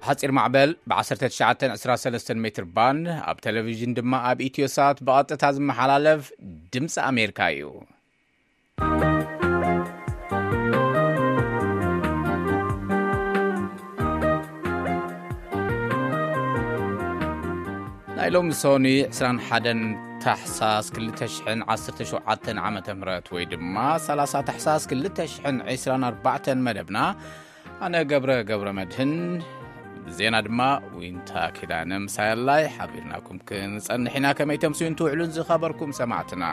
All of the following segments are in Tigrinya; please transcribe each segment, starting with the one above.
ሓጺር ማዕበል ብ1923 ሜትር ባንድ፣ ኣብ ቴሌቪዥን ድማ ኣብ ኢትዮ ሳት ብቐጥታ ዝመሓላለፍ ድምፂ ኣሜሪካ እዩ። ናይ ሎሚ ሰኑይ 21 ታሕሳስ 2017 ዓመተ ምህረት፣ ወይ ድማ 30 ታሕሳስ 2024 መደብና፣ ኣነ ገብረ ገብረ መድህን፣ ዜና ድማ ዊንታ ኪዳነ ምሳያላይ ሓቢርናኩም ክንጸንሕ ኢና። ከመይ ተምስዩን ትውዕሉን ዝኸበርኩም ሰማዕትና?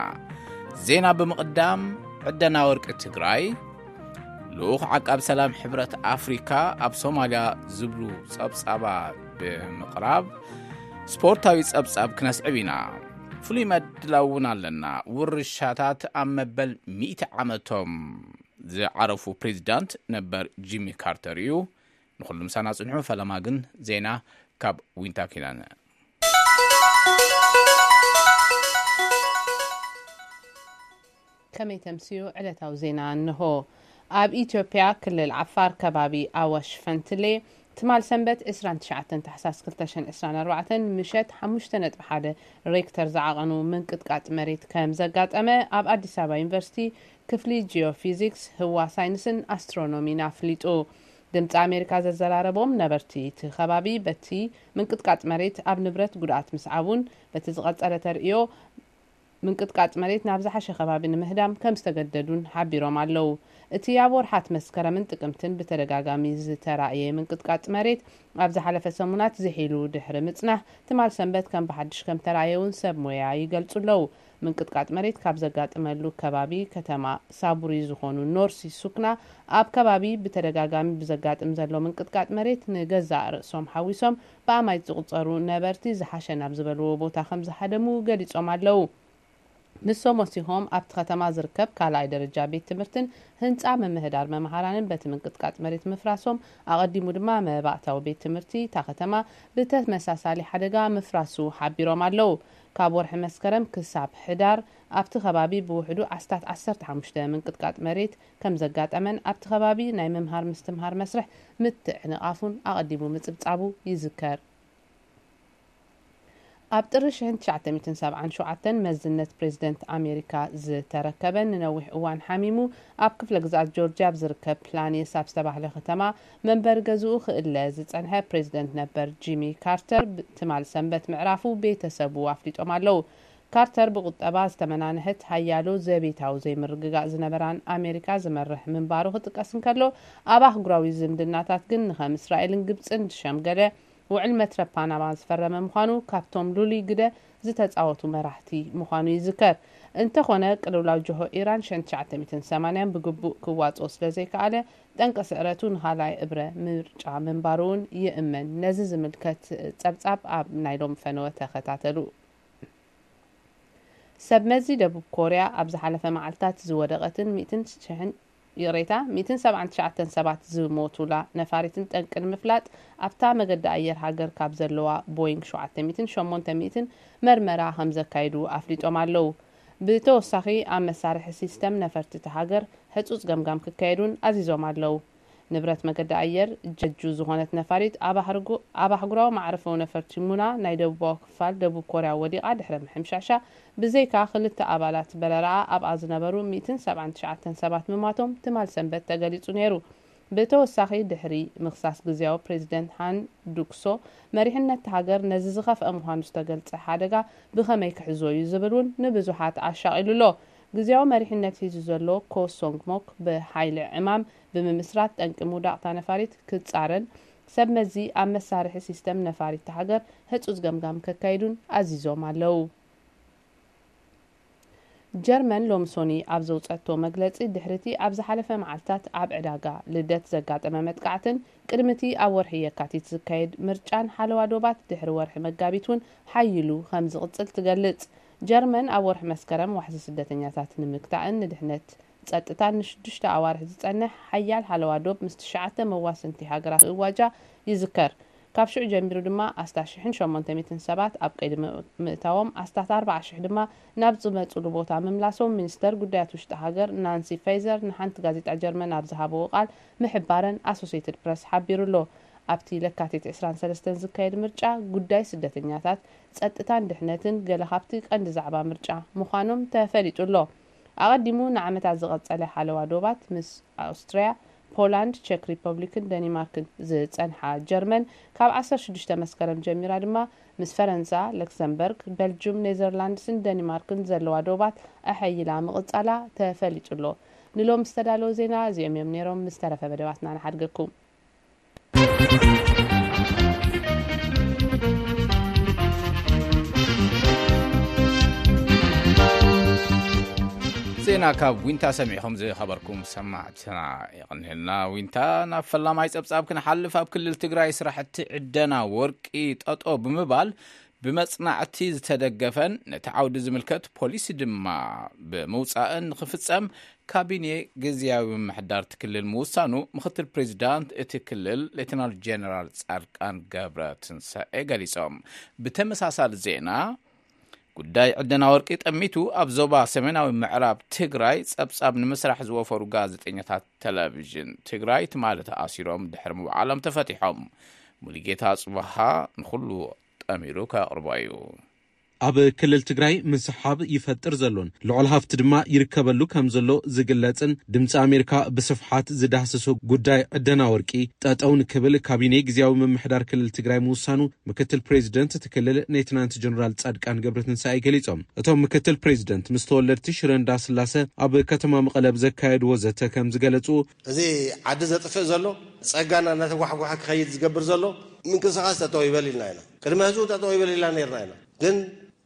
ዜና ብምቕዳም፣ ዕደና ወርቂ ትግራይ፣ ልኡኽ ዓቃብ ሰላም ሕብረት ኣፍሪካ ኣብ ሶማልያ ዝብሉ ጸብጻባ ብምቕራብ፣ ስፖርታዊ ጸብጻብ ክነስዕብ ኢና። ፍሉይ መድላው እውን ኣለና። ውርሻታት ኣብ መበል ሚእቲ ዓመቶም ዝዓረፉ ፕሬዚዳንት ነበር ጂሚ ካርተር እዩ። ንኹሉ ምሳና ጽንሑ። ፈለማ ግን ዜና ካብ ዊንታ ኪዳነ። ከመይ ተምስዩ ዕለታዊ ዜና እንሆ። ኣብ ኢትዮጵያ ክልል ዓፋር ከባቢ ኣዋሽ ፈንትሌ ትማል ሰንበት 29 ታሕሳስ 2024 ምሸት 5.1 ሬክተር ዝዓቐኑ ምንቅጥቃጥ መሬት ከም ዘጋጠመ ኣብ ኣዲስ ኣበባ ዩኒቨርሲቲ ክፍሊ ጂኦፊዚክስ፣ ህዋ ሳይንስን ኣስትሮኖሚን ኣፍሊጡ። ድምፂ ኣሜሪካ ዘዘራረቦም ነበርቲ እቲ ከባቢ በቲ ምንቅጥቃጥ መሬት ኣብ ንብረት ጉድኣት ምስዓቡን በቲ ዝቐጸለ ተርእዮ ምንቅጥቃጥ መሬት ናብ ዝሓሸ ከባቢ ንምህዳም ከም ዝተገደዱን ሓቢሮም ኣለዉ። እቲ ኣብ ወርሓት መስከረምን ጥቅምትን ብተደጋጋሚ ዝተራእየ ምንቅጥቃጥ መሬት ኣብ ዝሓለፈ ሰሙናት ዝሒሉ ድሕሪ ምጽናሕ፣ ትማል ሰንበት ከም ብሓድሽ ከም ተራእየ እውን ሰብ ሞያ ይገልጹ ኣለዉ። ምንቅጥቃጥ መሬት ካብ ዘጋጥመሉ ከባቢ ከተማ ሳቡሪ ዝኾኑ ኖርሲ ሱክና፣ ኣብ ከባቢ ብተደጋጋሚ ብዘጋጥም ዘሎ ምንቅጥቃጥ መሬት ንገዛእ ርእሶም ሓዊሶም ብኣማይት ዝቑጸሩ ነበርቲ ዝሓሸ ናብ ዝበልዎ ቦታ ከም ዝሃደሙ ገሊጾም ኣለዉ። ንሶም ወሲኾም ኣብቲ ከተማ ዝርከብ ካልኣይ ደረጃ ቤት ትምህርትን ህንጻ ምምህዳር መምሃራንን በቲ ምንቅጥቃጥ መሬት ምፍራሶም፣ ኣቐዲሙ ድማ መባእታዊ ቤት ትምህርቲ እታ ከተማ ብተመሳሳሊ ሓደጋ ምፍራሱ ሓቢሮም ኣለዉ። ካብ ወርሒ መስከረም ክሳብ ሕዳር ኣብቲ ከባቢ ብውሕዱ ኣስታት 15 ምንቅጥቃጥ መሬት ከም ዘጋጠመን ኣብቲ ከባቢ ናይ ምምሃር ምስትምሃር መስርሕ ምትዕንቓፉን ኣቐዲሙ ምጽብጻቡ ይዝከር። ኣብ ጥሪ 1977 መዝነት ፕሬዝደንት ኣሜሪካ ዝተረከበ፣ ንነዊሕ እዋን ሓሚሙ ኣብ ክፍለ ግዝኣት ጆርጅያ ኣብ ዝርከብ ፕላኒስ ኣብ ዝተባህለ ከተማ መንበሪ ገዝኡ ክእለ ዝጸንሐ ፕሬዝደንት ነበር ጂሚ ካርተር፣ ብ-፣ ትማል ሰንበት ምዕራፉ ቤተሰቡ ኣፍሊጦም ኣለዉ። ካርተር ብቁጠባ ዝተመናንሐት፣ ሓያሎ ዘቤታዊ ዘይምርግጋእ ዝነበራን ኣሜሪካ ዝመርሕ ምንባሩ ክጥቀስ እንከሎ፣ ኣብ ኣህጉራዊ ዝምድናታት ግን ንኸም እስራኤልን ግብጽን ዝሸምገለ ውዕል መትረብ ፓናማ ዝፈረመ ምዃኑ፣ ካብቶም ልሉይ ግደ ዝተጻወቱ መራሕቲ ምዃኑ ይዝከር። እንተኾነ፣ ቅልውላው ጅሆ ኢራን 1980 ብግቡእ ክዋጽኦ ስለ ዘይከኣለ፣ ጠንቂ ስዕረቱ ንኻልኣይ እብረ ምርጫ ምንባሩ እውን ይእመን። ነዚ ዝምልከት ጸብጻብ ኣብ ናይ ሎሚ ፈነወ ተኸታተሉ። ሰብ መዚ ደቡብ ኮርያ ኣብ ዝሓለፈ መዓልታት ዝወደቐትን ሚእትን ሽሕን፣ ይቕሬታ፣ ሚእትን ሰብዓን ትሽዓተን ሰባት ዝሞቱላ ነፋሪትን ጠንቂ ንምፍላጥ ኣብታ መገዲ ኣየር ሃገር ካብ ዘለዋ ቦይንግ 788 መርመራ ከም ዘካይዱ ኣፍሊጦም ኣለዉ። ብተወሳኺ ኣብ መሳርሒ ሲስተም ነፈርቲ እታ ሃገር ህጹጽ ገምጋም ክካየዱን ኣዚዞም ኣለዉ። ንብረት መገዲ ኣየር ጀጁ ዝኾነት ነፋሪት ኣብ ኣህርጉ-፣ ኣብ ኣህጉራዊ መዕረፎ ነፈርቲ ሙና ናይ ደቡባዊ ክፋል ደቡብ ኮርያ ወዲቓ ድሕሪ ምሕምሻሻ፣ ብዘይካ ክልተ ኣባላት በረራኣ ኣብኣ ዝነበሩ ሚእትን ሰብዓን ትሽዓተን ሰባት ምማቶም ትማል ሰንበት ተገሊጹ ነይሩ። ብተወሳኺ፣ ድሕሪ ምኽሳስ ግዝያዊ ፕሬዚደንት ሃን ዱክሶ፣ መሪሕነት ሃገር ነዚ ዝኸፍአ ምዃኑ ዝተገልጸ ሓደጋ ብኸመይ ክሕዞ እዩ ዝብል እውን ንብዙሓት ኣሻቒሉ ኣሎ። ግዝያዊ መሪሕነት ሒዙ ዘሎ ኮ ሶንግ ሞክ፣ ብሓይሊ ዕማም ብምምስራት ጠንቂ ምውዳቕታ ነፋሪት ክጻረን፣ ሰብ መዚ ኣብ መሳርሒ ሲስተም ነፋሪት ሃገር ህጹጽ ገምጋም ከካይዱን ኣዚዞም ኣለዉ። ጀርመን ሎሚ ሶኒ ኣብ ዘውጸቶ መግለጺ፣ ድሕሪቲ ኣብ ዝሓለፈ መዓልታት ኣብ ዕዳጋ ልደት ዘጋጠመ መጥቃዕትን ቅድሚቲ ኣብ ወርሒ የካቲት ዝካየድ ምርጫን ሓለዋ ዶባት ድሕሪ ወርሒ መጋቢት እውን ሓይሉ ከም ዝቕጽል ትገልጽ። ጀርመን ኣብ ወርሒ መስከረም ዋሕዚ ስደተኛታት ንምግታእን ንድሕነት ጸጥታን ንሽዱሽተ ኣዋርሕ ዝጸንሕ ሓያል ሓለዋ ዶብ ምስ ትሽዓተ መዋስንቲ ሃገራት እዋጃ ይዝከር። ካብ ሽዑ ጀሚሩ ድማ ኣስታት ሽሕን ሸሞንተ ሚእትን ሰባት ኣብ ቀይዲ ም-፣ ምእታዎም፣ ኣስታት ኣርባዓ ሽሕ ድማ ናብ ዝመጹሉ ቦታ ምምላሶም ሚኒስተር ጉዳያት ውሽጢ ሃገር ናንሲ ፋይዘር ንሓንቲ ጋዜጣ ጀርመን ኣብ ዝሃብዎ ቃል ምሕባረን ኣሶሴትድ ፕረስ ሓቢሩ ኣሎ። ኣብቲ ለካቲት ዕስራን ሰለስተን ዝካየድ ምርጫ ጉዳይ ስደተኛታት፣ ጸጥታን ድሕነትን ገለ ካብቲ ቀንዲ ዛዕባ ምርጫ ምዃኖም ተፈሊጡ ኣሎ። ኣቐዲሙ ንዓመታት ዝቐጸለ ሓለዋ ዶባት ምስ ኣውስትርያ፣ ፖላንድ፣ ቸክ ሪፐብሊክን ደኒማርክን ዝጸንሓ ጀርመን፣ ካብ ዓሰርተ ሽዱሽተ መስከረም ጀሚራ ድማ ምስ ፈረንሳ፣ ለክሰምበርግ፣ በልጁም፣ ኔዘርላንድስን ደኒማርክን ዘለዋ ዶባት ኣሐይላ ምቕጻላ ተፈሊጡ ኣሎ። ንሎም ዝተዳለወ ዜና እዚኦም እዮም ነይሮም። ምስ ተረፈ መደባትና ንሓድገኩም። ዜና ካብ ዊንታ ሰሚዕኹም ዝኸበርኩም ሰማዕትና የቕንየልና። ዊንታ ናብ ፈላማይ ጸብጻብ ክንሓልፍ፣ ኣብ ክልል ትግራይ ስራሕቲ ዕደና ወርቂ ጠጦ ብምባል ብመጽናዕቲ ዝተደገፈን ነቲ ዓውዲ ዝምልከት ፖሊሲ ድማ ብምውጻእን ንኽፍጸም ካቢኔ ግዝያዊ ምምሕዳር እቲ ክልል ምውሳኑ ምክትል ፕሬዚዳንት እቲ ክልል ሌተናል ጀነራል ጻድቃን ገብረ ትንሳኤ ገሊጾም። ብተመሳሳሊ ዜና፣ ጉዳይ ዕደና ወርቂ ጠሚቱ ኣብ ዞባ ሰሜናዊ ምዕራብ ትግራይ ጸብጻብ ንምስራሕ ዝወፈሩ ጋዜጠኛታት ቴሌቪዥን ትግራይ ትማሊ ተኣሲሮም ድሕሪ ምውዓሎም ተፈቲሖም። ሙሉጌታ ጽባሃ ንኹሉ ጠሚሩ ከቕርቦ እዩ። ኣብ ክልል ትግራይ ምስሓብ ይፈጥር ዘሎን ልዑል ሃፍቲ ድማ ይርከበሉ ከም ዘሎ ዝግለጽን ድምፂ ኣሜሪካ ብስፍሓት ዝዳህስሶ ጉዳይ ዕደና ወርቂ ጠጠው ንክብል ካቢኔ ግዝያዊ ምምሕዳር ክልል ትግራይ ምውሳኑ ምክትል ፕሬዚደንት እቲ ክልል ሌተናንት ጀነራል ጻድቃን ገብረትንሳኤ ገሊጾም። እቶም ምክትል ፕሬዚደንት ምስ ተወለድቲ ሽረ እንዳስላሰ ኣብ ከተማ መቐለ ብዘካየድዎ ዘተ ከም ዝገለጹ፣ እዚ ዓዲ ዘጥፍእ ዘሎ፣ ጸጋና እናተጓሕጓሐ ክኸይድ ዝገብር ዘሎ ምንቅስቓስ ጠጠው ይበል ኢልና ኢና። ቅድሚ ህዝቡ ጠጠው ይበል ኢልና ነርና ኢና። ግን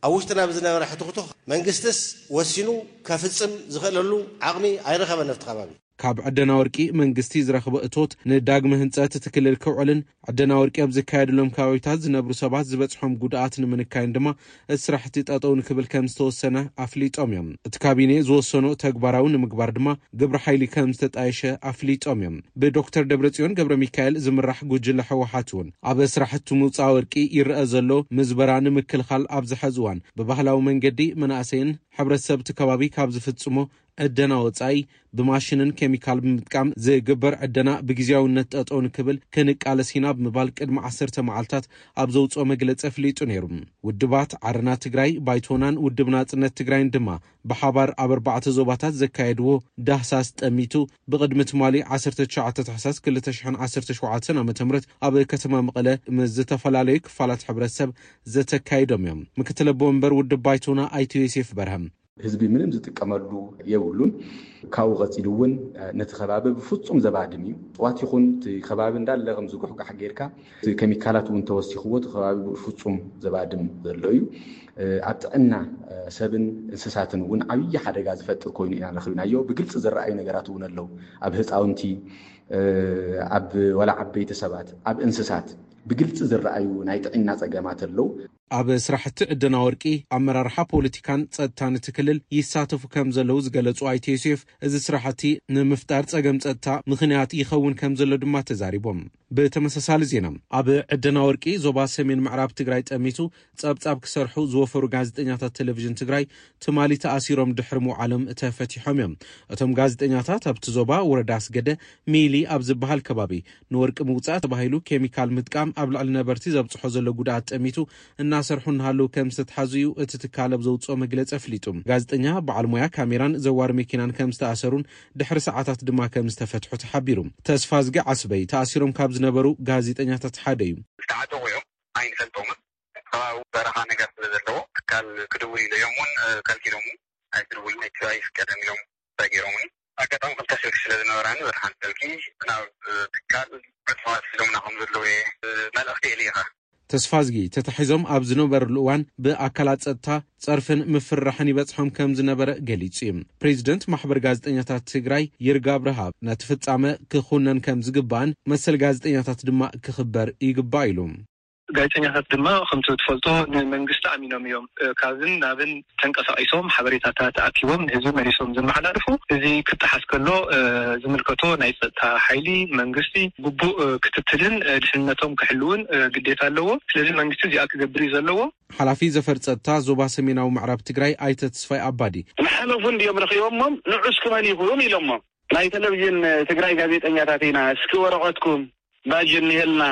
ኣብ ውሽጥና ብዝነበረ ሕትኽቱኽ መንግስትስ ወሲኑ ከፍጽም ዝኽእለሉ ዓቕሚ ኣይረኸበን ኣብቲ ከባቢ። ካብ ዕደና ወርቂ መንግስቲ ዝረኽቦ እቶት ንዳግመ ህንጸት እቲ ክልል ክውዕልን ዕደና ወርቂ ኣብ ዝካየደሎም ከባቢታት ዝነብሩ ሰባት ዝበጽሖም ጉድኣት ንምንካይን ድማ እቲ ስራሕቲ ጠጠው ንክብል ከም ዝተወሰነ ኣፍሊጦም እዮም። እቲ ካቢኔ ዝወሰኖ ተግባራዊ ንምግባር ድማ ግብረ ሓይሊ ከም ዝተጣየሸ ኣፍሊጦም እዮም። ብዶክተር ደብረጽዮን ገብረ ሚካኤል ዝምራሕ ጉጅለ ህወሓት እውን ኣብ ስራሕቲ ምውፃእ ወርቂ ይረአ ዘሎ ምዝበራ ንምክልኻል ኣብዚ ሕዚ እዋን ብባህላዊ መንገዲ መናእሰይን ሕብረተሰብ እቲ ከባቢ ካብ ዝፍጽሞ ዕደና ወፃኢ ብማሽንን ኬሚካል ብምጥቃም ዝግበር ዕደና ብግዜያውነት ጠጠው ንክብል ክንቃለስ ኢና ብምባል ቅድሚ ዓሰርተ መዓልታት ኣብ ዘውፅኦ መግለፂ ኣፍሊጡ ነይሩ። ውድባት ዓረና ትግራይ፣ ባይቶናን ውድብ ናፅነት ትግራይን ድማ ብሓባር ኣብ ኣርባዕተ ዞባታት ዘካየድዎ ዳህሳስ ጠሚቱ ብቕድሚ ትማሊ ዓሰርተ ትሽዓተ ታሕሳስ ክልተ ሽሕን ዓሰርተ ሸውዓተን ዓመተ ምህረት ኣብ ከተማ መቐለ ምስ ዝተፈላለዩ ክፋላት ሕብረተሰብ ዘተካይዶም እዮም። ምክትል ኣቦ ወንበር ውድብ ባይቶና ኣይተ ዮሴፍ በርሀም፣ ህዝቢ ምንም ዝጥቀመሉ የብሉን። ካብኡ ቀፂሉ እውን ነቲ ከባቢ ብፍፁም ዘባድም እዩ። እፅዋት ይኹን እቲ ከባቢ እንዳለ ከም ዝጉሕጋሕ ጌርካ፣ እቲ ኬሚካላት እውን ተወሲኽዎ እቲ ከባቢ ብፍፁም ዘባድም ዘሎ እዩ። ኣብ ጥዕና ሰብን እንስሳትን እውን ዓብዪ ሓደጋ ዝፈጥር ኮይኑ ኢና ረኺብናዮ። ብግልፂ ዝረኣዩ ነገራት እውን ኣለዉ። ኣብ ህፃውንቲ፣ ኣብ ወላ ዓበይቲ ሰባት፣ ኣብ እንስሳት ብግልፂ ዝረኣዩ ናይ ጥዕና ፀገማት ኣለዉ። ኣብ ስራሕቲ ዕደና ወርቂ ኣመራርሓ ፖለቲካን ጸጥታን እቲ ክልል ይሳተፉ ከም ዘለዉ ዝገለጹ ኣይተ ዮሴፍ፣ እዚ ስራሕቲ ንምፍጣር ጸገም ጸጥታ ምኽንያት ይኸውን ከም ዘሎ ድማ ተዛሪቦም። ብተመሳሳሊ ዜና፣ ኣብ ዕደና ወርቂ ዞባ ሰሜን ምዕራብ ትግራይ ጠሚቱ ጸብጻብ ክሰርሑ ዝወፈሩ ጋዜጠኛታት ቴሌቪዥን ትግራይ ትማሊ ተኣሲሮም ድሕሪ ምውዓሎም ተፈቲሖም እዮም። እቶም ጋዜጠኛታት ኣብቲ ዞባ ወረዳ ኣስገደ ሚሊ ኣብ ዝበሃል ከባቢ ንወርቂ ምውጻእ ተባሂሉ ኬሚካል ምጥቃም ኣብ ልዕሊ ነበርቲ ዘብጽሖ ዘሎ ጉድኣት ጠሚቱ እናሰርሑ እናሃለዉ ከም ዝተትሓዙ እዩ እቲ ትካል ኣብ ዘውጽኦ መግለጺ ኣፍሊጡ። ጋዜጠኛ፣ በዓል ሞያ ካሜራን ዘዋሪ መኪናን ከም ዝተኣሰሩን ድሕሪ ሰዓታት ድማ ከም ዝተፈትሑ ተሓቢሩ። ተስፋዝጊ ዓስበይ ተኣሲሮም ካብ ዝነበሩ ጋዜጠኛታት ሓደ እዩ። ዝተዓጠቑ እዮም፣ ኣይንፈልጦምን። ከባቢ በረኻ ነገር ስለ ዘለዎ ትካል ክድውል ኢሎም እውን ከልኪሎም፣ ኣይትድውልን ኣይፍቀድን ኢሎም ሰጊሮምኒ። ኣጋጣሚ ክልተ ስልኪ ስለ ዝነበራኒ፣ በተሓንቲ ስልኪ ናብ ትካል ዕፅዋት ሒዞምና ከም ዘለዉ እየ መልእኽቲ የልኢኻ። ተስፋዝጊ ተታሒዞም ኣብ ዝነበርሉ እዋን ብኣካላት ጸጥታ ጸርፍን ምፍርራሕን ይበጽሖም ከም ዝነበረ ገሊጹ እዩ። ፕሬዚደንት ማሕበር ጋዜጠኛታት ትግራይ ይርጋ ኣብርሃ ነቲ ፍጻመ ክኹነን ከም ዝግባእን መሰል ጋዜጠኛታት ድማ ክኽበር ይግባእ ኢሉ። ጋዜጠኛታት ድማ ከምቲ ትፈልጦ ንመንግስቲ ኣሚኖም እዮም፣ እ፣ ካብን ናብን ተንቀሳቒሶም ሓበሬታታት ኣኪቦም ንህዝቢ መሊሶም ዘመሓላልፉ። እዚ ክጠሓስ ከሎ፣ እ፣ ዝምልከቶ ናይ ጸጥታ ሓይሊ መንግስቲ ግቡእ፣ እ፣ ክትትልን፣ እ፣ ድሕንነቶም ክሕልውን፣ እ፣ ግዴታ ኣለዎ። ስለዚ መንግስቲ እዚኣ ክገብር እዩ ዘለዎ። ሓላፊ ዘፈር ጸጥታ ዞባ ሰሜናዊ ምዕራብ ትግራይ ኣይተ ተስፋይ ኣባዲ፣ ዝሓለፉ እንድዮም ረኺቦሞም፣ ንዑስ ክመን ይኹን ኢሎሞም። ናይ ቴሌቪዥን ትግራይ ጋዜጠኛታት ኢና፣ እስኪ ወረቐትኩም ባጅ እኒሀልና፣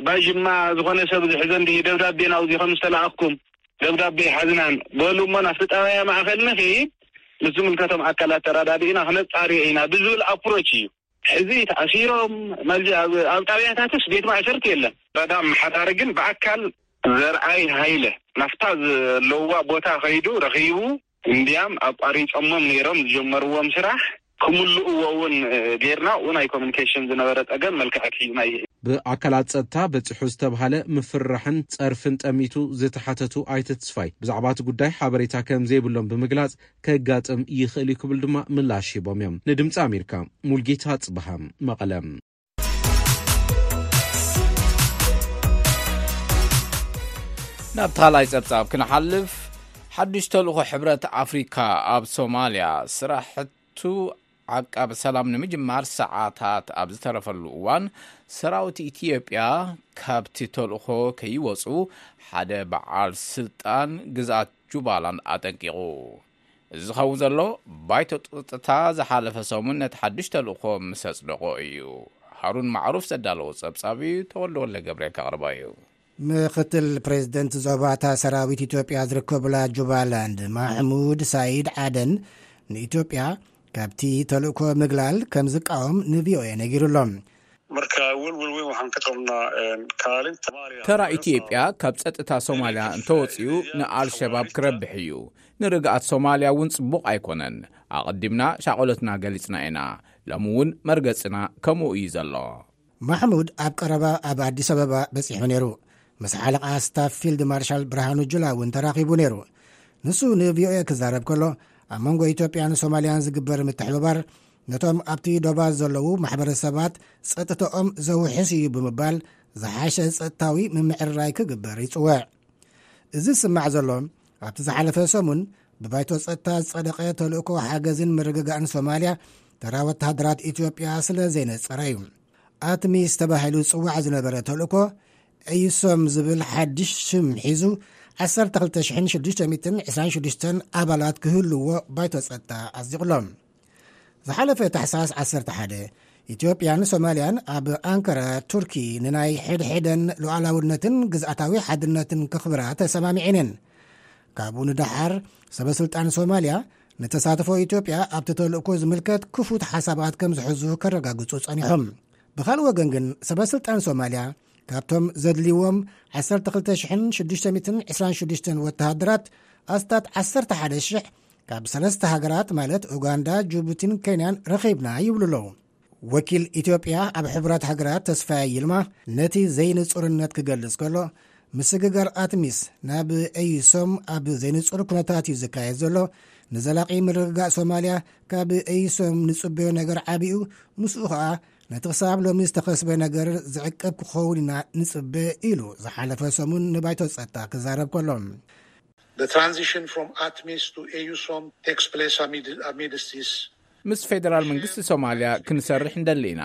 ባጅማ ዝኾነ ሰብ ዝሕዘ እንዲ ደብዳቤ ናውዚ ከም ዝተላኣኽኩም ደብዳቤ ሓዝናን በሉ እሞ ናብቲ ጣብያ ማእኸል ንኺድ ምስ ዝምልከቶም ኣካላት ተረዳዲእና ክነፃርዮ ኢና ብዝብል ኣፕሮች እዩ። ሕዚ ተኣሲሮም መዚ ኣብ ጣብያታትስ ቤት ማእሰርቲ የለን። ረዳ ኣመሓዳሪ ግን ብኣካል ዘርኣይ ሃይለ ናፍታ ዘለዋ ቦታ ከይዱ ረኺቡ እንዲያም ኣቋሪፆሞም ነይሮም ዝጀመርዎም ስራሕ ክምልእዎ እውን ጌርና። ኡ ናይ ኮሚኒኬሽን ዝነበረ ፀገም መልክዐት ሂብና። ብኣካላት ፀጥታ በፂሑ ዝተብሃለ ምፍርራሕን ፀርፍን ጠሚቱ ዝተሓተቱ ኣይተ ተስፋይ ብዛዕባ እቲ ጉዳይ ሓበሬታ ከም ዘይብሎም ብምግላፅ ከጋጥም ይኽእል እዩ ክብል ድማ ምላሽ ሂቦም እዮም። ንድምፂ ኣሜሪካ ሙልጌታ ጽብሃ፣ መቐለ። ናብ ካልኣይ ጸብጻብ ክንሓልፍ፣ ሓድሽ ተልእኾ ሕብረት ኣፍሪካ ኣብ ሶማልያ ስራሕቱ ዓቃቢ ሰላም ንምጅማር ሰዓታት ኣብ ዝተረፈሉ እዋን፣ ሰራዊት ኢትዮጵያ ካብቲ ተልእኾ ከይወፁ ሓደ በዓል ስልጣን ግዝኣት ጁባላንድ ኣጠንቂቑ። እዚ ዝኸውን ዘሎ፣ ባይቶ ጸጥታ ዝሓለፈ ሰሙን ነቲ ሓድሽ ተልእኾ ምስ ኣጽደቖ እዩ። ሃሩን ማዕሩፍ ዘዳለዎ ጸብጻብ እዩ፣ ተወልደ ወልደ ገብርኤል ከቕርቦ እዩ። ምኽትል ፕሬዝደንት ዞባታ ሰራዊት ኢትዮጵያ ዝርከቡላ ጁባላንድ ማሕሙድ ሳይድ ዓደን ንኢትዮጵያ ካብቲ ተልእኮ ምግላል ከም ዝቃወም ንቪኦኤ ነጊሩ ኣሎ። Marka welwel weyn waxaan ka qabnaa kaalinta ተራ ኢትዮጵያ ካብ ጸጥታ ሶማልያ እንተወጺኡ ንኣልሸባብ ክረብሕ እዩ። ንርግኣት ሶማልያ እውን ጽቡቕ ኣይኮነን። ኣቐዲምና ሻቕሎትና ገሊጽና ኢና። ሎሚ እውን መርገጽና ከምኡ እዩ ዘሎ። ማሕሙድ ኣብ ቀረባ ኣብ ኣዲስ ኣበባ በጺሑ ነይሩ። ምስ ሓለቓ ስታፍ ፊልድ ማርሻል ብርሃኑ ጁላ እውን ተራኺቡ ነይሩ። ንሱ ንቪኦኤ ክዛረብ ከሎ፣ ኣብ መንጎ ኢትዮጵያን ሶማልያን ዝግበር ምትሕብባር ነቶም ኣብቲ ዶባ ዘለዉ ማሕበረሰባት ጸጥታኦም ዘውሕስ እዩ ብምባል ዝሓሸ ጸጥታዊ ምምዕርራይ ክግበር ይጽውዕ። እዚ ዝስማዕ ዘሎ ኣብቲ ዝሓለፈ ሰሙን ብባይቶ ጸጥታ ዝጸደቐ ተልእኮ ሓገዝን ምርግጋእን ሶማልያ ተራ ወተሃደራት ኢትዮጵያ ስለ ዘይነጸረ እዩ። ኣትሚስ ተባሂሉ ዝጽዋዕ ዝነበረ ተልእኮ ኤዩሶም ዝብል ሓድሽ ሽም ሒዙ ዓሰርተ ክልተ ሽሕን ሽዱሽተ ሚእትን ዕስራን ሽዱሽተን ኣባላት ክህልዎ ባይቶ ጸጥታ ኣጽዲቑሎም። ዝሓለፈ ታሕሳስ ዓሰርተ ሓደ ኢትዮጵያን ሶማልያን ኣብ ኣንካራ ቱርኪ ንናይ ሕድሕደን ሉዓላውነትን ግዝኣታዊ ሓድነትን ከኽብራ ተሰማሚዐን እየን። ካብኡ ንደሓር ሰበ ስልጣን ሶማልያ ንተሳትፎ ኢትዮጵያ ኣብቲ ተልእኮ ዝምልከት ክፉት ሓሳባት ከም ዝሕዙ ከረጋግጹ ጸኒሖም። ብኻልእ ወገን ግን ሰበ ስልጣን ሶማልያ ካብቶም ዘድልይዎም ዓሰርተ ክልተ ሽሕን ሽዱሽተ ሚእትን ዕስራን ሽዱሽተን ወተሃደራት ኣስታት ዓሰርተ ሓደ ሽሕ ካብ ሰለስተ ሃገራት ማለት ኡጋንዳ፣ ጅቡቲን ኬንያን ረኺብና ይብሉ ኣለዉ። ወኪል ኢትዮጵያ ኣብ ሕቡራት ሃገራት ተስፋዬ ይልማ ነቲ ዘይንጹርነት ክገልጽ ከሎ፣ ምስግጋር ኣትሚስ ናብ ኤዩሶም ኣብ ዘይንጹር ኩነታት እዩ ዝካየድ ዘሎ። ንዘላቒ ምርግጋእ ሶማልያ ካብ ኤዩሶም ንጽበዮ ነገር ዓብዩ፣ ምስኡ ኸኣ ነቲ ክሳብ ሎሚ ዝተኸስበ ነገር ዝዕቀብ ክኸውን ኢና ንጽበ ኢሉ ዝሓለፈ ሰሙን ንባይቶ ጸጥታ ክዛረብ ከሎ። The transition from ATMIS to AUSOM takes place amid, amidst this. ምስ ፌደራል መንግስቲ ሶማልያ ክንሰርሕ እንደሊ ኢና።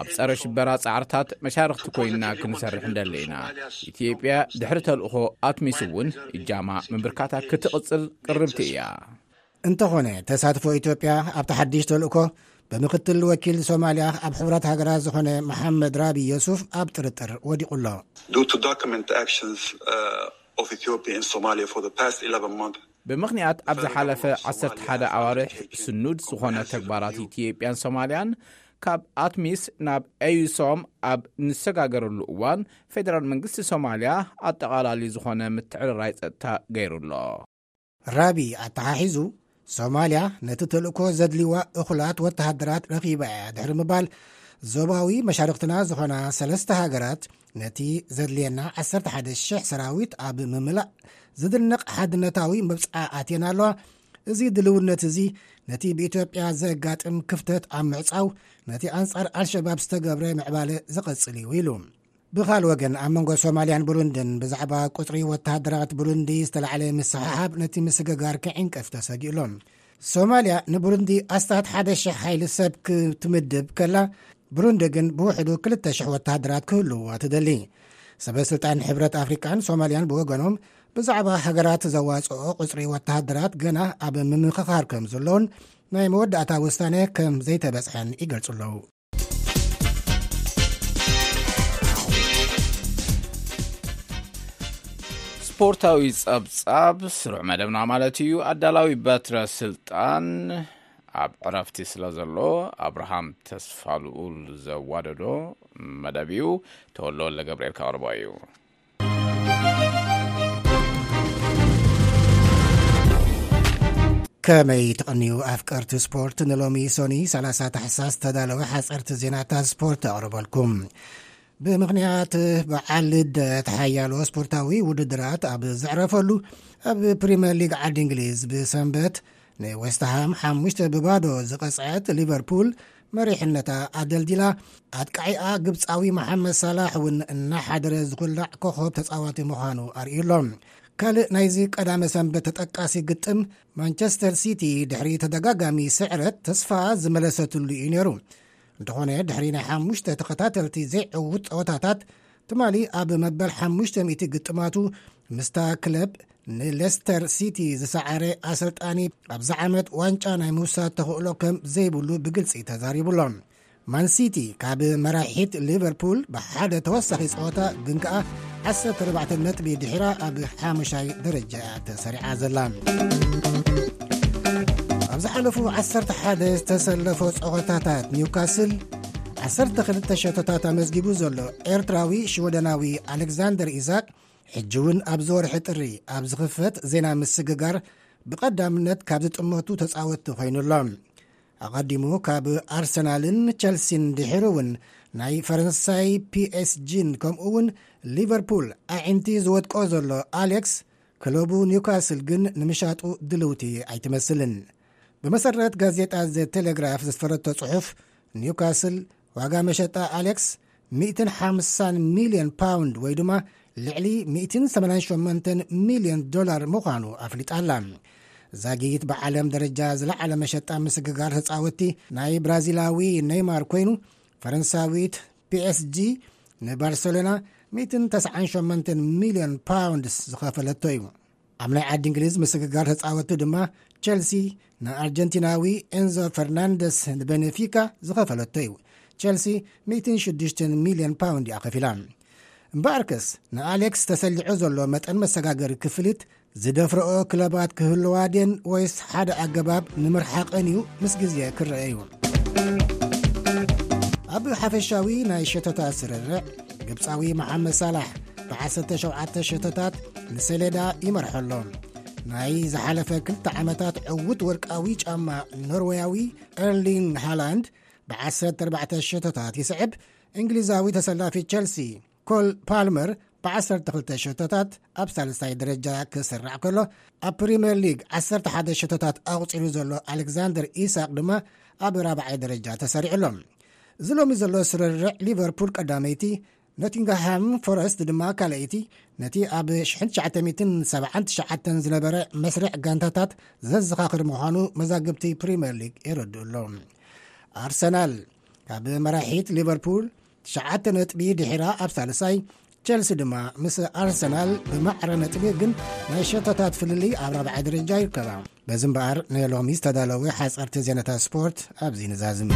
ኣብ ጸረ ሽበራ ጻዕርታት መሻርኽቲ ኮይንና ክንሰርሕ እንደሊ ኢና። ኢትዮጵያ ድሕሪ ተልእኾ ኣትሚስ እውን እጃማ ምብርካታ ክትቕጽል ቅርብቲ እያ። እንተኾነ ተሳትፎ ኢትዮጵያ ኣብቲ ሓድሽ ተልእኮ ብምክትል ወኪል ሶማልያ ኣብ ሕቡራት ሃገራት ዝኾነ መሓመድ ራቢ የሱፍ ኣብ ጥርጥር ወዲቑ ኣሎ። Due to document actions uh, of Ethiopia in Somalia for the past eleven months. ብምኽንያት ኣብ ዝሓለፈ ዓሰርተ ሓደ ኣዋርሕ ስኑድ ዝኾነ ተግባራት ኢትዮጵያን ሶማልያን ካብ ኣትሚስ ናብ ኤዩሶም ኣብ ንሰጋገረሉ እዋን ፌደራል መንግስቲ ሶማልያ ኣጠቓላሊ ዝኾነ ምትዕርራይ ጸጥታ ገይሩ ኣሎ። ራቢ ኣተሓሒዙ፣ ሶማልያ ነቲ ተልእኮ ዘድልይዋ እኹላት ወተሃደራት ረኺባ እያ ድሕሪ ምባል፣ ዞባዊ መሻርኽትና ዝኾና ሰለስተ ሃገራት ነቲ ዘድልየና ዓሰርተ ሓደ ሽሕ ሰራዊት ኣብ ምምላእ ዝድነቕ ሓድነታዊ መብጽዓ ኣትየን ኣለዋ። እዚ ድልውነት እዚ ነቲ ብኢትዮጵያ ዘጋጥም ክፍተት ኣብ ምዕጻው ነቲ ኣንጻር ኣልሸባብ ዝተገብረ ምዕባለ ዝቐጽል እዩ ኢሉ። ብኻል ወገን ኣብ መንጎ ሶማልያን ብሩንድን ብዛዕባ ቁጽሪ ወተሃደራት ብሩንዲ ዝተላዕለ ምስሕሓብ ነቲ ምስግጋር ክዕንቀፍ ተሰጊእሎም። ሶማልያ ንብሩንዲ ኣስታት ሓደ ሽሕ ሓይሊ ሰብ ክትምድብ ከላ፣ ብሩንዲ ግን ብውሕዱ ክልተ ሽሕ ወተሃደራት ክህልዋ ትደሊ። ሰበ ስልጣን ሕብረት ኣፍሪቃን ሶማልያን ብወገኖም ብዛዕባ ሃገራት ዘዋጽኦ ቁጽሪ ወተሃደራት ገና ኣብ ምምኽኻር ከም ዘለውን ናይ መወዳእታ ውሳነ ከም ዘይተበጽሐን ይገልጹ ኣለዉ። ስፖርታዊ ጸብጻብ ስሩዕ መደብና ማለት እዩ። ኣዳላዊ በትረ ስልጣን ኣብ ዕረፍቲ ስለ ዘሎ፣ ኣብርሃም ተስፋ ልኡል ዘዋደዶ መደብ እዩ። ተወልደ ወልደ ገብርኤል ከቕርቦ እዩ። ከመይ ትቕንዩ ኣፍቀርቲ ስፖርት? ንሎሚ ሶኒ ሰላሳ ታሕሳስ ዝተዳለወ ሓጸርቲ ዜናታት ስፖርት ኣቕርበልኩም። ብምኽንያት በዓል ልደት ሓያሎ ስፖርታዊ ውድድራት ኣብ ዘዕረፈሉ፣ ኣብ ፕሪምየር ሊግ ዓዲ እንግሊዝ ብሰንበት ንዌስትሃም ሓሙሽተ ብባዶ ዝቐጽዐት ሊቨርፑል መሪሕነታ ኣደልዲላ፣ ኣጥቃዒኣ ግብጻዊ መሓመድ ሳላሕ እውን እናሓደረ ዝኹላዕ ኮኸብ ተጻዋቲ ምዃኑ ኣርእዩ ኣሎ። ካልእ ናይዚ ቀዳመ ሰንበት ተጠቃሲ ግጥም፣ ማንቸስተር ሲቲ ድሕሪ ተደጋጋሚ ስዕረት ተስፋ ዝመለሰትሉ እዩ ነይሩ። እንተኾነ፣ ድሕሪ ናይ ሓሙሽተ ተኸታተልቲ ዘይዕዉት ጸወታታት፣ ትማሊ ኣብ መበል ሓሙሽተ ሚእቲ ግጥማቱ ምስታ ክለብ ንሌስተር ሲቲ ዝሰዓረ ኣሰልጣኒ፣ ኣብዚ ዓመት ዋንጫ ናይ ምውሳድ ተኽእሎ ከም ዘይብሉ ብግልጺ ተዛሪቡ ኣሎ። ማን ሲቲ ካብ መራሒት ሊቨርፑል ብሓደ ተወሳኺ ጸወታ ግን ከኣ ዓሰርተ ኣርባዕተ ነጥቢ ድሒራ ኣብ ሓሙሻይ ደረጃ ተሰሪዓ ዘላ። ኣብ ዝሓለፉ ዓሰርተ ሓደ ዝተሰለፎ ጸወታታት ኒውካስል ዓሰርተ ክልተ ሸቶታት ኣመዝጊቡ ዘሎ ኤርትራዊ ሽወደናዊ ኣሌክዛንደር ኢዛቅ፣ ሕጂ እውን ኣብዚ ወርሒ ጥሪ ኣብ ዝኽፈት ዜና ምስግጋር ብቐዳምነት ካብ ዝጥመቱ ተጻወትቲ ኮይኑ ኣሎ። ኣቐዲሙ ካብ ኣርሰናልን ቸልሲን ድሒሩ እውን ናይ ፈረንሳይ ፒኤስጂን ከምኡ እውን ሊቨርፑል ኣዒንቲ ዝወድቆ ዘሎ ኣሌክስ፣ ክለቡ ኒውካስል ግን ንምሻጡ ድልውቲ ኣይትመስልን። ብመሰረት ጋዜጣ ዘ ቴሌግራፍ ዘስፈረቶ ጽሑፍ፣ ኒውካስል ዋጋ መሸጣ ኣሌክስ ሚእትን ሓምሳን ሚልዮን ፓውንድ ወይ ድማ ልዕሊ ሚእትን ሰማንያን ሸሞንተን ሚልዮን ዶላር ምዃኑ ኣፍሊጣ ኣላ። ዛጊት ብዓለም ደረጃ ዝለዓለ መሸጣ ምስግጋር ተጻወትቲ ናይ ብራዚላዊ ኔይማር ኮይኑ፣ ፈረንሳዊት ፒኤስጂ ንባርሰሎና ሚእትን ተስዓን ሸሞንተን ሚልዮን ፓውንድስ ዝኸፈለቶ እዩ። ኣብ ናይ ዓዲ እንግሊዝ ምስግጋር ተጻወትቲ ድማ ቸልሲ ንኣርጀንቲናዊ ኤንዞ ፈርናንደስ ንቤኔፊካ ዝኸፈለቶ እዩ። ቸልሲ ሚእትን ሽዱሽተን ሚልዮን ፓውንድ እያ ከፊላ። እምበኣርከስ፣ ንኣሌክስ ተሰሊዑ ዘሎ መጠን መሰጋገሪ ክፍሊት ዝደፍረኦ ክለባት ክህልዋ ድየን ወይስ ሓደ ኣገባብ ንምርሓቐን እዩ ምስ ግዜ ክረአ እዩ። ኣብ ሓፈሻዊ ናይ ሸቶታት ስርርዕ፣ ግብጻዊ መሓመድ ሳላሕ ብዓሰርተ ሸውዓተ ሸቶታት ንሰሌዳ ይመርሖ ኣሎ። ናይ ዝሓለፈ ክልተ ዓመታት ዕዉት ወርቃዊ ጫማ ኖርዌያዊ ኤርሊንግ ሃላንድ ብዓሰርተ ኣርባዕተ ሸቶታት ይስዕብ። እንግሊዛዊ ተሰላፊ ቸልሲ ኮል ፓልመር ብዓሰርተ ክልተ ሸቶታት ኣብ ሳልሳይ ደረጃ ክስራዕ ከሎ፣ ኣብ ፕሪምየር ሊግ ዓሰርተ ሓደ ሸቶታት ኣቑጺሩ ዘሎ ኣሌክዛንደር ኢሳቅ ድማ ኣብ ራብዓይ ደረጃ ተሰሪዑ ኣሎ። እዚ ሎሚ ዘሎ ስርርዕ፣ ሊቨርፑል ቀዳመይቲ፣ ኖቲንግሃም ፎረስት ድማ ካልኣይቲ፣ ነቲ ኣብ ሽሕን ትሽዓተ ሚእትን ሰብዓን ትሽዓተን ዝነበረ መስርዕ ጋንታታት ዘዘኻኽር ምዃኑ መዛግብቲ ፕሪምየር ሊግ የረድኡ ኣሎ። ኣርሰናል ካብ መራሒት ሊቨርፑል ትሽዓተ ነጥቢ ድሒራ ኣብ ሳልሳይ፣ ቸልሲ ድማ ምስ ኣርሰናል ብማዕረ ነጥቢ ግን ናይ ሸቶታት ፍልልይ ኣብ ራብዓይ ደረጃ ይርከባ። በዚ እምበኣር፣ ንሎሚ ዝተዳለወ ሓጸርቲ ዜናታት ስፖርት ኣብዚ ንዛዝም።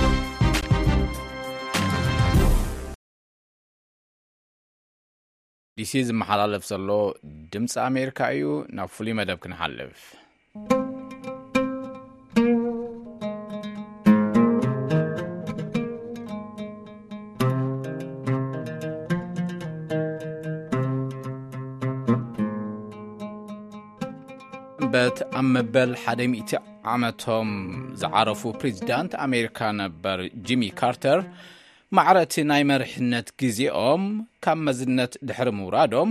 ዲሲ ዝመሓላለፍ ዘሎ ድምፂ ኣሜሪካ እዩ። ናብ ፍሉይ መደብ ክንሓልፍ። ሰንበት ኣብ መበል ሓደ ሚእቲ ዓመቶም ዝዓረፉ ፕሬዚዳንት ኣሜሪካ ነበር ጂሚ ካርተር፣ ማዕረ እቲ ናይ መሪሕነት ግዜኦም ካብ መዝነት ድሕሪ ምውራዶም፣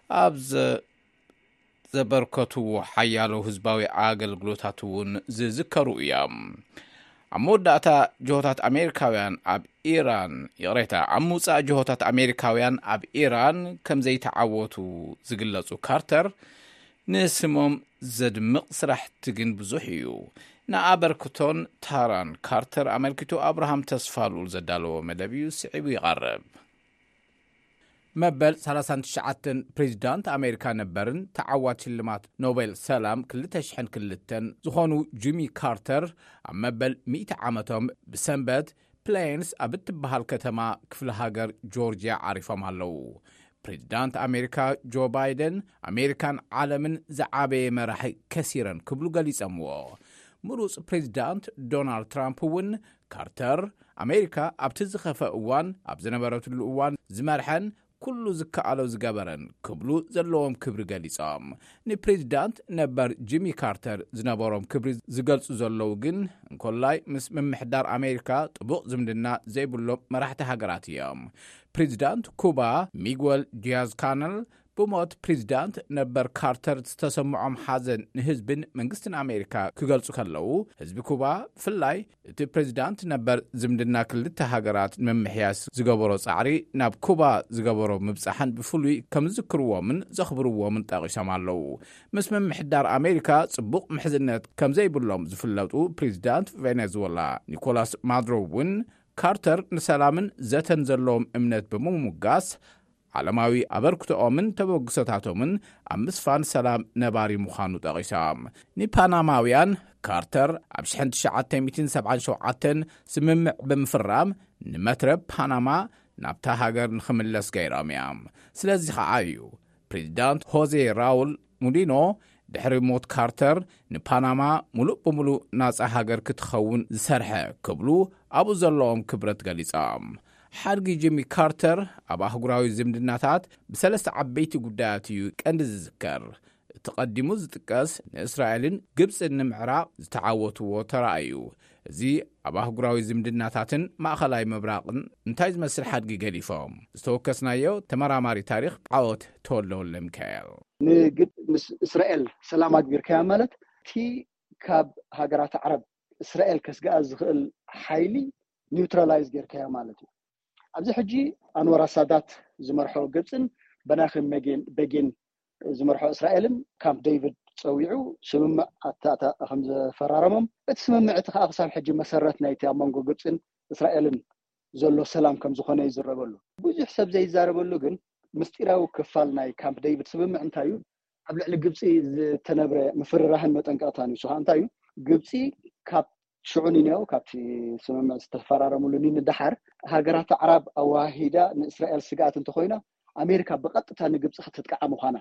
ኣብ ዘ-፣ ዘበርከትዎ ሓያሎ ህዝባዊ ኣገልግሎታት እውን ዝዝከሩ እዮም። ኣብ መወዳእታ ጅሆታት ኣሜሪካውያን ኣብ ኢራን፣ ይቕሬታ፣ ኣብ ምውጻእ ጅሆታት ኣሜሪካውያን ኣብ ኢራን ከም ዘይተዓወቱ ዝግለጹ ካርተር፣ ንስሞም ዘድምቕ ስራሕቲ ግን ብዙሕ እዩ። ንኣበርክቶን ታራን ካርተር ኣመልኪቱ ኣብርሃም ተስፋልኡል ዘዳለዎ መደብ እዩ፣ ስዒቡ ይቐርብ። መበል ሰላሳን ትሽዓተን ፕሬዚዳንት ኣሜሪካ ነበርን ተዓዋቲ ሽልማት ኖቤል ሰላም ክልተ ሽሕን ክልተን ዝኾኑ ጂሚ ካርተር፣ ኣብ መበል ሚእቲ ዓመቶም ብሰንበት ፕሌንስ ኣብ እትበሃል ከተማ ክፍለ ሃገር ጆርጅያ ዓሪፎም ኣለዉ። ፕሬዚዳንት ኣሜሪካ ጆ ባይደን ኣሜሪካን ዓለምን ዝዓበየ መራሒ ከሲረን ክብሉ ገሊጸምዎ። ምሩጽ ፕሬዚዳንት ዶናልድ ትራምፕ እውን ካርተር ኣሜሪካ ኣብቲ ዝኸፈ እዋን ኣብ ዝነበረትሉ እዋን ዝመርሐን ኩሉ ዝከኣሎ ዝገበረን ክብሉ ዘለዎም ክብሪ ገሊጾም። ንፕሬዚዳንት ነበር ጂሚ ካርተር ዝነበሮም ክብሪ ዝገልጹ ዘለዉ ግን እንኮላይ ምስ ምምሕዳር ኣሜሪካ ጥቡቕ ዝምድና ዘይብሎም መራሕቲ ሃገራት እዮም። ፕሬዚዳንት ኩባ ሚጉል ዲያዝ ካነል ብሞት ፕሬዚዳንት ነበር ካርተር ዝተሰምዖም ሓዘን ንህዝብን መንግስትን ኣሜሪካ ክገልጹ ከለዉ፣ ህዝቢ ኩባ ብፍላይ እቲ ፕሬዚዳንት ነበር ዝምድና ክልተ ሃገራት ንምምሕያስ ዝገበሮ ጻዕሪ ናብ ኩባ ዝገበሮ ምብጻሕን ብፍሉይ ከም ዝዝክርዎምን ዘኽብርዎምን ጠቒሶም ኣለዉ። ምስ ምምሕዳር ኣሜሪካ ጽቡቕ ምሕዝነት ከም ዘይብሎም ዝፍለጡ ፕሬዚዳንት ቬኔዙዌላ ኒኮላስ ማዱሮ እውን ካርተር ንሰላምን ዘተን ዘለዎም እምነት ብምምጋስ ዓለማዊ ኣበርክቶኦምን ተበግሶታቶምን ኣብ ምስፋን ሰላም ነባሪ ምዃኑ ጠቒሶም። ንፓናማውያን ካርተር ኣብ ሽሕን ትሽዓተ ሚእትን ሰብዓን ሸውዓተን ስምምዕ ብምፍራም ንመትረብ ፓናማ ናብታ ሃገር ንኽምለስ ገይሮም እዮም። ስለዚ ኸዓ እዩ ፕሬዚዳንት ሆዜ ራውል ሙሊኖ ድሕሪ ሞት ካርተር ንፓናማ ሙሉእ ብምሉእ ናጻ ሃገር ክትኸውን ዝሰርሐ ክብሉ ኣብኡ ዘለዎም ክብረት ገሊጾም። ሓድጊ ጂሚ ካርተር ኣብ ኣህጉራዊ ዝምድናታት ብሰለስተ ዓበይቲ ጉዳያት እዩ ቀንዲ ዝዝከር። እቲ ቀዲሙ ዝጥቀስ ንእስራኤልን ግብጽን ንምዕራቕ ዝተዓወትዎ ተራ እዩ። እዚ ኣብ ኣህጉራዊ ዝምድናታትን ማእኸላይ ምብራቕን እንታይ ዝመስል ሓድጊ ገሊፎም? ዝተወከስናዮ ተመራማሪ ታሪኽ ዓወት ተወልደወልደ ሚካኤል። ንግብፂ ምስ እስራኤል ሰላም ኣግቢርካያ ማለት እቲ ካብ ሃገራት ዓረብ እስራኤል ከስግኣ ዝኽእል ሓይሊ ኒውትራላይዝ ጌርካዮ ማለት እዩ። ኣብዚ ሕጂ ኣንዋር ኣሳዳት ዝመርሖ ግብፅን በናኺ መጌን በጌን ዝመርሖ እስራኤልን ካምፕ ዴቪድ ፀዊዑ ስምምዕ ኣታእታ ከም ዘፈራረሞም፣ እቲ ስምምዕ እቲ ከዓ ክሳብ ሕጂ መሰረት ናይቲ ኣብ መንጎ ግብፅን እስራኤልን ዘሎ ሰላም ከም ዝኾነ ይዝረበሉ። ብዙሕ ሰብ ዘይዛረበሉ ግን ምስጢራዊ ክፋል ናይ ካምፕ ዴቪድ ስምምዕ እንታይ እዩ? ኣብ ልዕሊ ግብፂ ዝተነብረ ምፍርራህን መጠንቀቕታን እዩ። ንሱ ከዓ እንታይ እዩ? ግብፂ ካብ ሽዑ ንንያው ካብቲ ስምምዕ ዝተፈራረምሉ ንንደሓር ሃገራት ኣዕራብ ኣዋሂዳ ንእስራኤል ስግኣት እንተኮይና ኣሜሪካ ብቐጥታ ንግብፂ ክትጥቃዓ ምዃና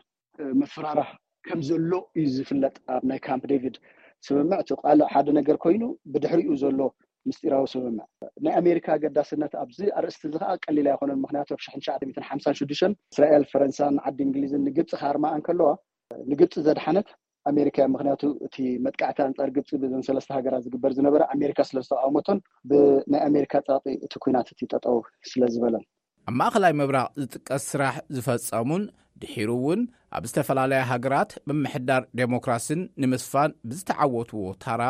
ምፍራራህ ከም ዘሎ እዩ ዝፍለጥ። ኣብ ናይ ካምፕ ዴቪድ ስምምዕ እቲ ቃልዕ ሓደ ነገር ኮይኑ ብድሕሪኡ ዘሎ ምስጢራዊ ስምምዕ ናይ ኣሜሪካ ኣገዳስነት ኣብዚ ኣርእስቲ እዚ ከዓ ቀሊል ኣይኮነን። ምክንያቱ ኣብ ሽሕን ትሽዓተ ሚእትን ሓምሳን ሽዱሽተን እስራኤል፣ ፈረንሳን ዓዲ እንግሊዝን ንግብፂ ክሃርማ እንከለዋ ንግብፂ ዘድሓነት ኣሜሪካ እያ። ምክንያቱ እቲ መጥቃዕቲ ኣንፃር ግብፂ ብዘን ሰለስተ ሃገራት ዝግበር ዝነበረ ኣሜሪካ ስለ ዝተቃወመቶን ብናይ ኣሜሪካ ፀቕጢ እቲ ኩናት እቲ ጠጠው ስለ ዝበለን። ኣብ ማእኸላይ ምብራቕ ዝጥቀስ ስራሕ ዝፈጸሙን ድሒሩ እውን ኣብ ዝተፈላለያ ሃገራት ምምሕዳር ዴሞክራስን ንምስፋን ብዝተዓወትዎ ታራ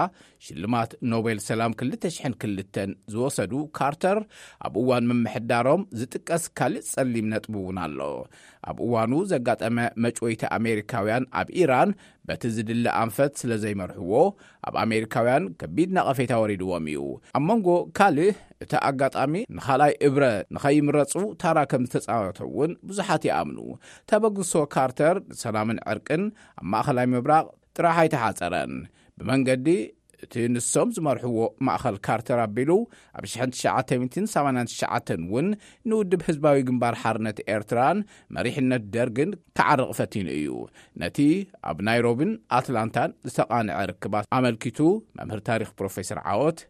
ሽልማት ኖቤል ሰላም ክልተ ሽሕን ክልተን ዝወሰዱ ካርተር ኣብ እዋን ምምሕዳሮም ዝጥቀስ ካልእ ጸሊም ነጥቢ እውን ኣሎ። ኣብ እዋኑ ዘጋጠመ መጭወይቲ ኣሜሪካውያን ኣብ ኢራን በቲ ዝድለ ኣንፈት ስለ ዘይመርሕዎ ኣብ ኣሜሪካውያን ከቢድ ነቐፌታ ወሪድዎም እዩ። ኣብ መንጎ ካልእ እቲ ኣጋጣሚ ንኻልኣይ እብረ ንኸይምረፁ ታራ ከም ዝተፃወተ እውን ብዙሓት ይኣምኑ። ተበግሶ ካርተር ንሰላምን ዕርቅን ኣብ ማእኸላይ ምብራቕ ጥራሕ ኣይተሓፀረን። ብመንገዲ እቲ ንሶም ዝመርሕዎ ማእኸል ካርተር ኣቢሉ ኣብ ሽሕን ትሽዓተ ሚእትን ሰማንያን ትሽዓተን እውን ንውድብ ህዝባዊ ግንባር ሓርነት ኤርትራን መሪሕነት ደርግን ክዓርቕ ፈቲኑ እዩ። ነቲ ኣብ ናይሮብን ኣትላንታን ዝተቓንዐ ርክባት ኣመልኪቱ መምህር ታሪኽ ፕሮፌሰር ዓወት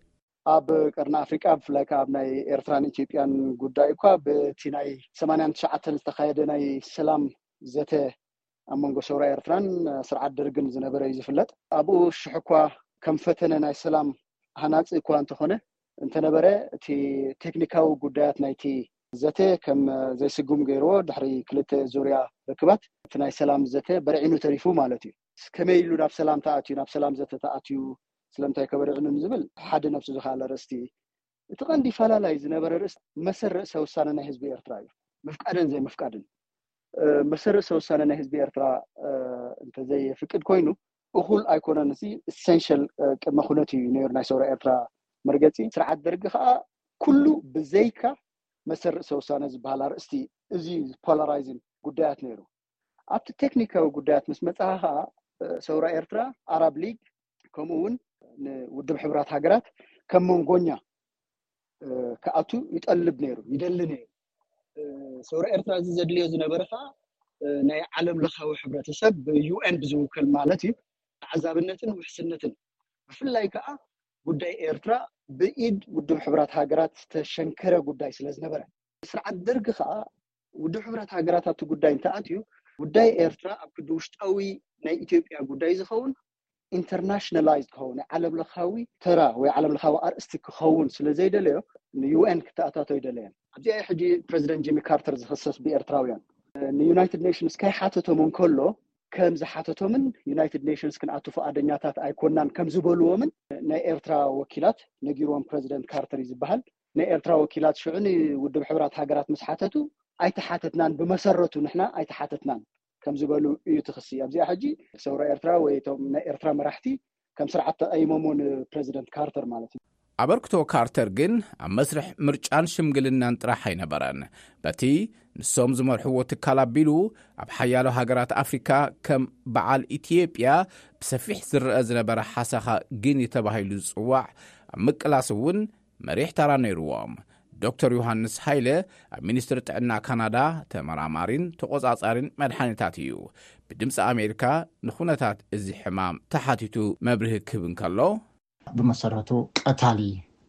ኣብ ቀርኒ ኣፍሪቃ ብፍላይ ከዓ ኣብ ናይ ኤርትራን ኢትዮጵያን ጉዳይ እኳ በቲ ናይ ሰማንያን ትሽዓተን ዝተኻየደ ናይ ሰላም ዘተ ኣብ መንጎ ሰውራ ኤርትራን ስርዓት ደርግን ዝነበረ እዩ ዝፍለጥ። ኣብኡ ሽሕ እኳ ከም ፈተነ ናይ ሰላም ሃናፂ እኳ እንተኾነ እንተነበረ እቲ ቴክኒካዊ ጉዳያት ናይቲ ዘተ ከም ዘይስጉም ገይርዎ ድሕሪ ክልተ ዙርያ ርክባት እቲ ናይ ሰላም ዘተ በርዒኑ ተሪፉ ማለት እዩ። ከመይ ኢሉ ናብ ሰላም ተኣትዩ ናብ ሰላም ዘተ ተኣትዩ ስለምንታይ ከበርዕኑ ንዝብል ሓደ ነብሱ ዝኸኣለ ርእስቲ እቲ ቀንዲ ፈላላይ ዝነበረ ርእስ መሰል ርእሰ ውሳነ ናይ ህዝቢ ኤርትራ እዩ። ምፍቃድን ዘይምፍቃድን መሰል ርእሰ ውሳነ ናይ ህዝቢ ኤርትራ እንተዘይፍቅድ ኮይኑ እኹል ኣይኮነን። እዚ ኢሰንሽል ቅድመ ኩነት እዩ ነይሩ ናይ ሰውራ ኤርትራ መርገፂ። ስርዓት ደርጊ ከዓ ኩሉ ብዘይካ መሰል ርእሰ ውሳነ ዝበሃል ኣርእስቲ እዚ ፖላራይዝን ጉዳያት ነይሩ። ኣብቲ ቴክኒካዊ ጉዳያት ምስ መፅኻ ከዓ ሰውራ ኤርትራ ኣራብ ሊግ ከምኡ እውን ንውድብ ሕቡራት ሃገራት ከም መንጎኛ ክኣቱ ይጠልብ ነይሩ ይደሊ ነይሩ። ሰውራ ኤርትራ እዚ ዘድልዮ ዝነበረ ከዓ ናይ ዓለም ለኻዊ ሕብረተሰብ ብዩ ኤን ብዝውከል ማለት እዩ ተዓዛብነትን ውሕስነትን፣ ብፍላይ ከዓ ጉዳይ ኤርትራ ብኢድ ውድብ ሕቡራት ሃገራት ዝተሸንከረ ጉዳይ ስለ ዝነበረ፣ ስርዓት ደርጊ ከዓ ውድብ ሕቡራት ሃገራት ኣብቲ ጉዳይ እንተኣትዩ፣ ጉዳይ ኤርትራ ኣብ ክዲ ውሽጣዊ ናይ ኢትዮጵያ ጉዳይ ዝኸውን ኢንተርናሽናላይዝ ክኸውን፣ ናይ ዓለም ለኻዊ ተራ ወይ ዓለም ለኻዊ ኣርእስቲ ክኸውን ስለ ዘይደለዮ ንዩ ኤን ክተኣታቶ ይደለየን። ኣብዚኣ ሕጂ ፕረዚደንት ጂሚ ካርተር ዝኽሰስ ብኤርትራውያን ንዩናይትድ ኔሽንስ ከይሓተቶም እንከሎ ከም ዝሓተቶምን ዩናይትድ ኔሽንስ ክንኣቱ ፍቓደኛታት ኣይኮናን ከም ዝበልዎምን ናይ ኤርትራ ወኪላት ነጊርዎም ፕረዚደንት ካርተር እዩ ዝበሃል። ናይ ኤርትራ ወኪላት ሽዑ ንውድብ ሕቡራት ሃገራት ምስ ሓተቱ ኣይተሓተትናን፣ ብመሰረቱ ንሕና ኣይተሓተትናን ከም ዝበሉ እዩ ትኽሲ። ኣብዚኣ ሕጂ ሰውራ ኤርትራ ወይ እቶም ናይ ኤርትራ መራሕቲ ከም ስርዓት ተቐይሞሞ ንፕረዚደንት ካርተር ማለት እዩ። ኣበርክቶ ካርተር ግን ኣብ መስርሕ ምርጫን ሽምግልናን ጥራሕ ኣይነበረን። በቲ ንሶም ዝመርሕዎ ትካል ኣቢሉ ኣብ ሓያሎ ሃገራት ኣፍሪካ ከም በዓል ኢትዮጵያ ብሰፊሕ ዝረአ ዝነበረ ሓሳኻ ግን ተባሂሉ ዝጽዋዕ ኣብ ምቅላስ እውን መሪሕ ተራ ነይርዎም። ዶክተር ዮሃንስ ሃይለ ኣብ ሚኒስትሪ ጥዕና ካናዳ ተመራማሪን ተቆጻጻሪን መድሓኒታት እዩ። ብድምፂ ኣሜሪካ ንኩነታት እዚ ሕማም ተሓቲቱ መብርሂ ክህብ እንከሎ፣ ብመሰረቱ ቀታሊ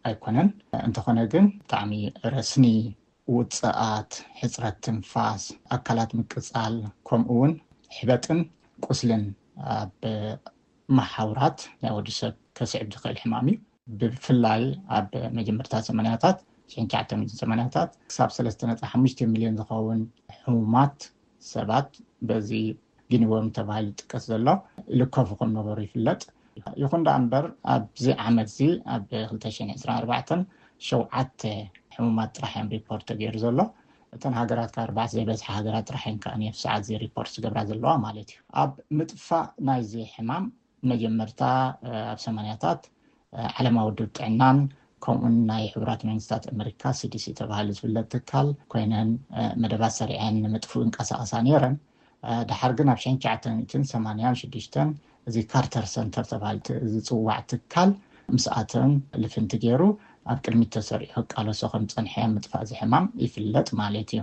ኣይኮነን። እንተኾነ ግን ብጣዕሚ ረስኒ ውፅኣት፣ ሕፅረት ትንፋስ፣ ኣካላት ምቅፃል፣ ከምኡ እውን ሕበጥን ቁስልን ኣብ መሓውራት ናይ ወዲ ሰብ ከስዕብ ዝኽእል ሕማም እዩ። ብፍላይ ኣብ መጀመርታ ሰማንያታት፣ ሽሕን ትሽዓተ ሚእትን ሰማንያታት ክሳብ ሰለስተ ነጥቢ ሓሙሽተ ሚልዮን ዝኸውን ሕሙማት ሰባት በዚ ጊኒወርም ተባሂሉ ዝጥቀስ ዘሎ ይልከፉ ከም ነበሩ ይፍለጥ። ይኹን ደኣ እምበር ኣብዚ ዓመት እዚ ኣብ ክልተ ሽሕን ዕስራን ኣርባዕተን ሸውዓተ ሕሙማት ጥራሕ እዮም ሪፖርት ተገይሩ ዘሎ። እተን ሃገራት ካብ ኣርባዕተ ዘይበዝሓ ሃገራት ጥራሕ እየን ከኣ ነብሲ ሰዓት እዚ ሪፖርት ዝገብራ ዘለዋ ማለት እዩ። ኣብ ምጥፋእ ናይዚ ሕማም መጀመርታ ኣብ ሰማንያታት ዓለማዊ ውድብ ጥዕናን ከምኡን ናይ ሕቡራት መንግስታት ኣመሪካ ሲዲሲ ተባሂሉ ዝፍለጥ ትካል ኮይነን መደባት ሰሪዐን ንምጥፍኡ እንቀሳቐሳ ነይረን። ድሓር ግን ኣብ ሽሕን ትሽዓተ ሚእትን ሰማንያን ሽዱሽተን እዚ ካርተር ሰንተር ተባሂሉ ዝፅዋዕ ትካል ምስኣተን ልፍንቲ ገይሩ ኣብ ቅድሚት ተሰሪዑ ክቃለሶ ከም ፀንሐ ምጥፋእ እዚ ሕማም ይፍለጥ ማለት እዩ።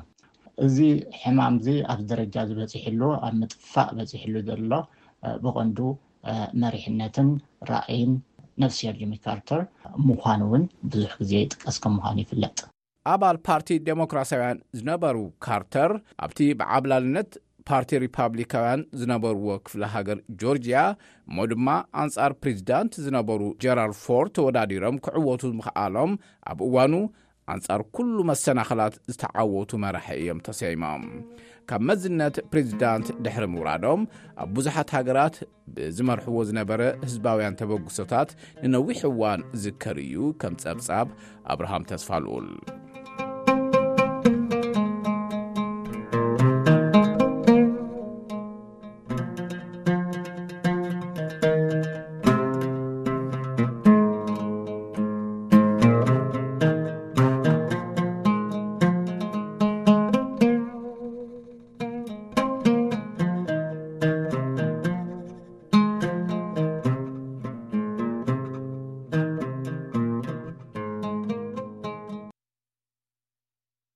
እዚ ሕማም እዚ ኣብ ደረጃ ዝበፂሕሉ ኣብ ምጥፋእ በፂሕሉ ዘሎ ብቐንዱ መሪሕነትን ራእይን ነፍስሄር ጂሚ ካርተር ምዃኑ እውን ብዙሕ ግዜ ይጥቀስ ከም ምዃኑ ይፍለጥ። ኣባል ፓርቲ ዴሞክራሲያውያን ዝነበሩ ካርተር ኣብቲ ብዓብላልነት ፓርቲ ሪፓብሊካውያን ዝነበርዎ ክፍለ ሃገር ጆርጂያ እሞ ድማ ኣንጻር ፕሬዚዳንት ዝነበሩ ጀራልድ ፎርድ ተወዳዲሮም ክዕወቱ ምኽኣሎም ኣብ እዋኑ ኣንጻር ኩሉ መሰናኽላት ዝተዓወቱ መራሒ እዮም ተሰይሞም። ካብ መዝነት ፕሬዚዳንት ድሕሪ ምውራዶም ኣብ ብዙሓት ሃገራት ብዝመርሕዎ ዝነበረ ህዝባውያን ተበግሶታት ንነዊሕ እዋን ዝከር እዩ። ከም ጸብጻብ ኣብርሃም ተስፋልኡል።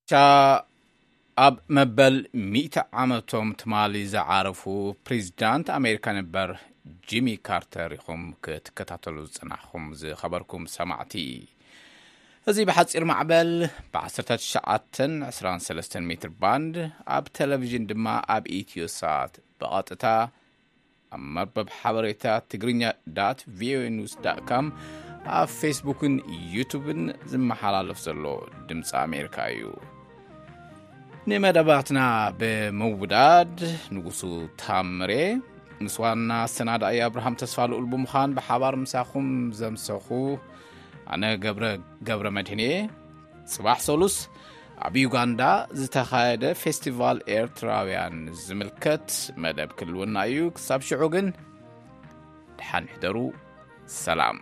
ሻ ኣብ መበል ሚእቲ ዓመቶም ትማሊ ዝዓረፉ ፕሬዚዳንት ኣሜሪካ ነበር ጂሚ ካርተር ኢኹም ክትከታተሉ ዝጸናሕኩም ዝኸበርኩም ሰማዕቲ። እዚ ብሓጺር ማዕበል ብ ዓሰርተ ትሽዓተን ዕስራን ሰለስተን ሜትር ባንድ፣ ኣብ ቴሌቪዥን ድማ ኣብ ኢትዮ ሳት ብቐጥታ ኣብ መርበብ ሓበሬታ ትግርኛ ዳት ቪኦኤ ኒውስ ዳት ካም፣ ኣብ ፌስቡክን ዩቱብን ዝመሓላለፍ ዘሎ ድምፂ ኣሜሪካ እዩ። ንመደባትና ብምውዳድ ንጉሱ ታምሬ ምስ ዋና ኣሰናዳኢ ኣብርሃም ተስፋ ልኡል ብምዃን ብሓባር ምሳኹም ዘምሰኹ ኣነ ገብረ፣ ገብረ መድህን እየ። ጽባሕ ሰሉስ ኣብ ዩጋንዳ ዝተኻየደ ፌስቲቫል ኤርትራውያን ዝምልከት መደብ ክህልወና እዩ። ክሳብ ሽዑ ግን ደሓን ሕደሩ። ሰላም።